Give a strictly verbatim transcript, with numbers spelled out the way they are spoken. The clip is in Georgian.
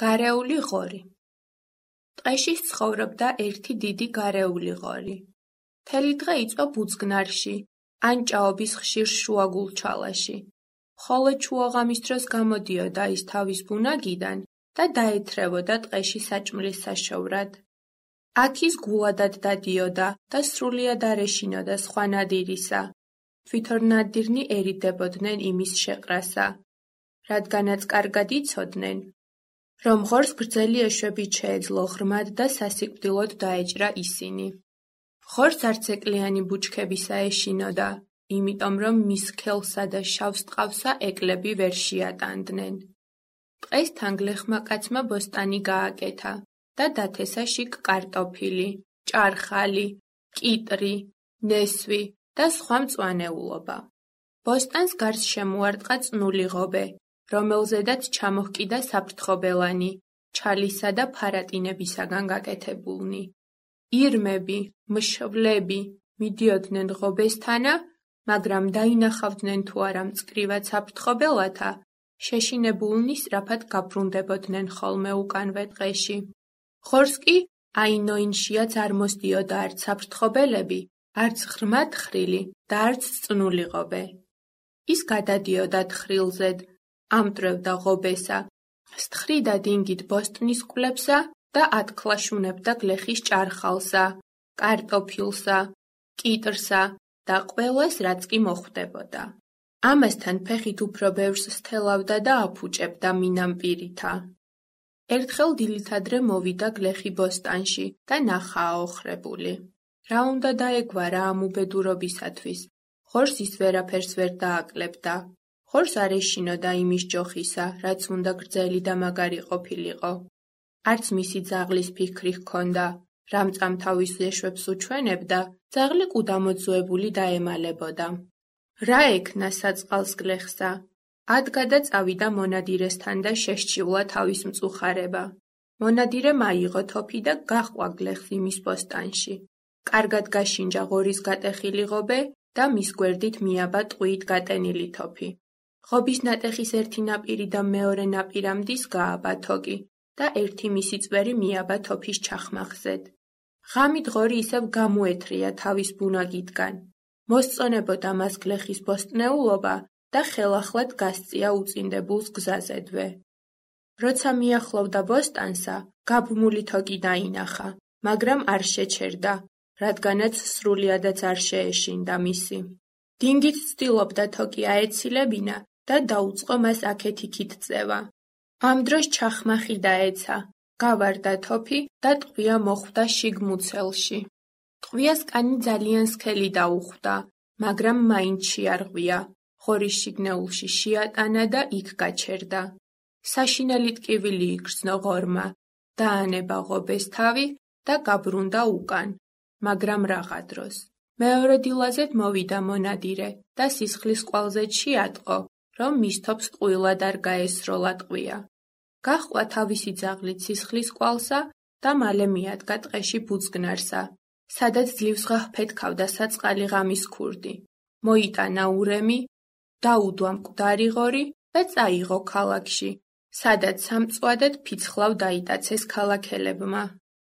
გარეული ღორი. ტყეში ცხოვრობდა ერთი დიდი გარეული ღორი. მთელი დღე იწვა ბუძგნარში, ან ჭაობის ხშირ შუაგულჩალაში. ხოლო ჩუაღამის დროს გამოდიოდა ის თავის ბუნაგიდან და დაეთრევოდა ტყეში საჭმლის საშოვრად. აქ ის გულადად დადიოდა და სრულიად არ ეშინოდა სხვა ნადირისა. თვითონ ნადირნი ერიდებოდნენ იმის შეყრასა, რადგანაც კარგად იცოდნენ, რომ ღორს გრძელი ეშვებით შეეძლო ღრმად და სასიკვდილოდ დაეჭრა ისინი. ღორს არც ეკლიანი ბუჩქებისა ეშინოდა, იმიტომ რომ მის სქელსა და შავს ტყავსა ეკლები ვერ შეატანდნენ. ტყეს თან გლეხმა კაცმა ბოსტანი გააკეთა და დათესა შიგ კარტოფილი, ჭარხალი, კიტრი, ნესვი და სხვა მწვანეულობა. ბოსტანს გარს შემოარტყა წნული ღობე, რომელზედაც ჩამოჰკიდა საფრთხობელანი, ჩალისა და ფარატინებისაგან გაკეთებულნი. ირმები, მშვლები მიდიოდნენ ღობესთანა, მაგრამ დაინახავდნენ თუ არა მწკრივად საფრთხობელათა, შეშინებულნი სწრაფად გაბრუნდებოდნენ ხოლმე უკანვე ტყეში. ღორს კი აინოინშიაც არ მოსდიოდა არც საფრთხობელები, არც ღრმა თხრილი და არც წნული ღობე. ის გადადიოდა თხრილზედ, ამტვრევდა ღობესა, სთხრიდა დინგით ბოსტნის კვლევსა და ათქლაშუნებდა გლეხის ჭარხალსა, კარტოფილსა, კიტრსა და ყველას, რაც კი მოხვდებოდა. ამასთან ფეხით უფრო ბევრს სთელავდა და აფუჭებდა მინამპირითა. ერთხელ დილითადრე მოვიდა გლეხი ბოსტანში და ნახა აოხრებული. რა უნდა დაეგვარა ამ უბედურობისათვის? ღორს ის ვერაფერს ვერ დააკლებდა. ღორს არ ეშინოდა იმის ჯოხისა, რაც უნდა გრძელი და მაგარი ყოფილიყო. არც მისი ძაღლის ფიქრი ჰქონდა, რამ წამთავის ეშვებს უჩვენებდა, ძაღლი კუდამოძუებული დაემალებოდა. რა ექნა საწყალს გლეხსა? ადგა და წავიდა მონადირესთან და შეშჩივლა თავის მწუხარება. მონადირემ აიღო თოფი და გაჰყვა გლეხს იმის ბოსტანში. კარგად გაშინჯა ღორის გატეხილი ღობე და მის გვერდით მიაბა ტყვიით გატენილი თოფი. ღობის ნატეხის ერთი ნაპირი და მეორე ნაპირამდის გააბა თოკი და ერთი მისი წვერი მიაბა თოფის ჩახმახზედ. ღამით ღორი ისევ გამოეთრია თავის ბუნაგიდან. მოსწონებოდა მას გლეხის ბოსტნეულობა და ხელახლად გასწია უწინდებულს გზაზედვე. როცა მიახლოვდა ბოსტანსა, გაბმული თოკი დაინახა, მაგრამ არ შეჩერდა, რადგანაც სრულიადაც არ შეეშინდა მისი. დინგით ცდილობდა თოკი აეცილებინა და დაუწყო მას აქეთ-იქით წევა. ამ დროს ჩახმახი დაეცა, გავარდა თოფი და ტყვია მოხვდა შიგ მუცელში. ტყვიას კანი ძალიან სქელი დაუხვდა, მაგრამ მაინც შეარღვია. ღორის შიგნეულში შეატანა და იქ გაჩერდა. საშინელი ტკივილი იგრძნო ღორმა, დაანება ღობეს თავი და გაბრუნდა უკან, მაგრამ რაღა დროს. მეორე დილაზედ მოვიდა მონადირე და სისხლის კვალზედ შეატყო, რომ მის თოფს ტყუილად არ გაესროლა ტყვია. გაჰყვა თავისი ძაღლით სისხლის კვალსა და მალე მიადგა ტყეში ბუძგნარსა, სადაც ძლივსღა ჰფეთქავდა საწყალი ღამის ქურდი. მოიტანა ურემი, დაუდვა მკვდარი ღორი და წაიღო ქალაქში, სადაც სამწვადად ფიცხლავ დაიტაცეს ქალაქელებმა.